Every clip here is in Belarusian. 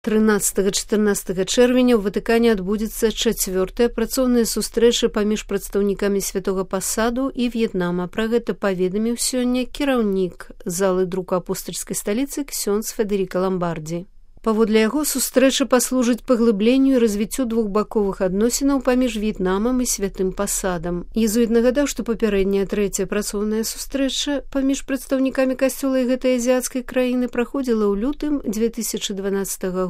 13-14 чэрвеня ў Ватыкане адбудзецца 4-я працоўная сустрэча паміж прадстаўнікамі святога пасаду і В'етнама. Пра гэта паведаміў сёння кіраўнік залы друку апостальскай сталіцы ксёндз Федэріка Ламбардзі. Паводле яго сустрэча паслужыць паглыбленню і развіццю двухбаковых адносінаў паміж В'етнамам і святым пасадам. Езуіт нагадаў, што папярэдняя 3-я працоўная сустрэча паміж прадстаўнікамі касцёла і гэтай азіяцкай краіны праходзіла ў лютым 2012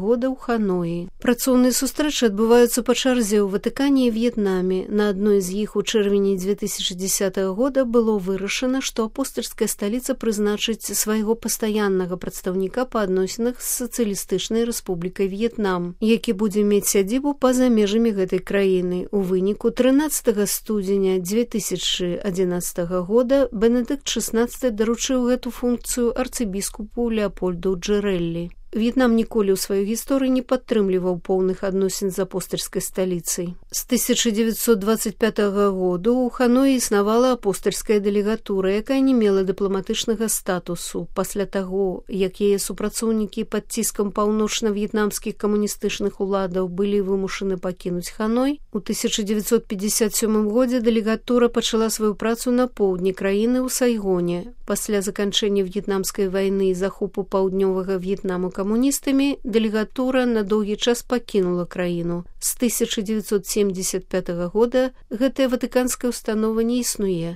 года ў Ханоі. Працоўныя сустрэчы адбываюцца па чарзе ў Ватыкане і В'етнаме. На адной з іх у чэрвені 2010 года было вырашана, што апостальская сталіца прызначыць свайго пастаяннага прадстаўніка па адносінах з сацыялістычнай Рэспублікай В'етнам, які будзе мець сядзібу па-за межамі гэтай краіны. У выніку 13 студзеня 2011 года Бенедыкт XVI даручыў гэту функцыю арцыбіскупу Леапольду Джэрэллі. В'етнам ніколі ў сваёй гісторыі не падтрымліваў поўных адносін з апостальскай сталіцай. З 1925 году ў Ханоі існавала апостальская дэлегатура, якая не мела дыпламатычнага статусу. Пасля таго, як яе супрацоўнікі пад ціскам паўночна-в'етнамскіх камуністычных уладаў былі вымушаны пакінуць Ханой, у 1957 годзе дэлегатура пачала сваю працу на поўдні краіны ў Сайгоне. Пасля заканчэння в'етнамскай вайны і захопу паўднёвага В'етнаму камуністамі, дэлегатура на доўгі час пакінула краіну. З 1975 года гэтая ватыканская ўстанова не існуе.